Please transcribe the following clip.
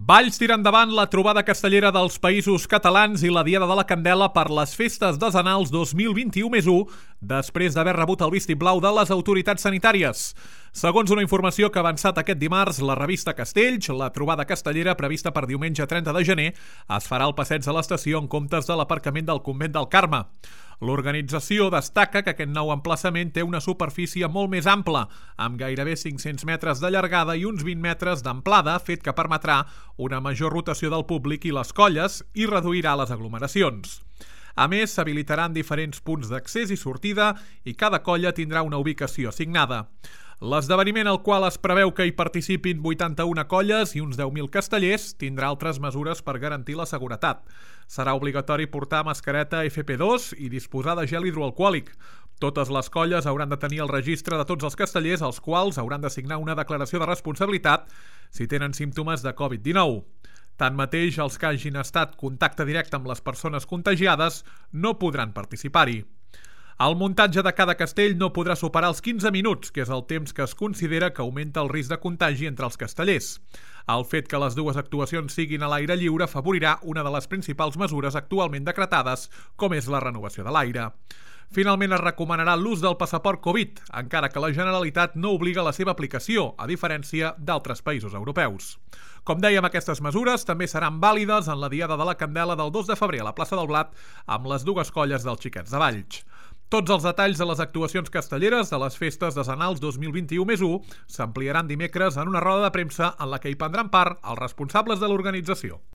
Valls tira endavant la trobada castellera dels Països Catalans i la Diada de la Candela per les festes decenals 2021+1, després d'haver rebut el vistiplau de les autoritats sanitàries. Segons una informació que ha avançat aquest dimarts, la revista Castells, la trobada castellera prevista per diumenge 30 de gener es farà al passeig de l'estació en comptes de l'aparcament del Convent del Carme. L'organització destaca que aquest nou emplaçament té una superfície molt més ampla, amb gairebé 500 metres de llargada i uns 20 metres d'amplada, fet que permetrà una major rotació del públic i les colles i reduirà les aglomeracions. A més, s'habilitaran diferents punts d'accés i sortida i cada colla tindrà una ubicació assignada. L'esdeveniment al qual es preveu que hi participin 81 colles i uns 10.000 castellers tindrà altres mesures per garantir la seguretat. Serà obligatori portar mascareta FP2 i disposar de gel hidroalcohòlic. Totes les colles hauran de tenir el registre de tots els castellers, als quals hauran de signar una declaració de responsabilitat si tenen símptomes de Covid-19. Tanmateix, els que hagin estat contacte directe amb les persones contagiades no podran participar-hi. El muntatge de cada castell no podrà superar els 15 minuts, que és el temps que es considera que augmenta el risc de contagi entre els castellers. El fet que les dues actuacions siguin a l'aire lliure afavorirà una de les principals mesures actualment decretades, com és la renovació de l'aire. Finalment es recomanarà l'ús del passaport Covid, encara que la Generalitat no obliga la seva aplicació, a diferència d'altres països europeus. Com dèiem, aquestes mesures també seran vàlides en la Diada de la Candela del 2 de febrer a la plaça del Blat amb les dues colles dels Xiquets de Valls. Tots els detalls de les actuacions castelleres de les festes decenals 2021+1 s'ampliaran dimecres en una roda de premsa en la que hi prendran part els responsables de l'organització.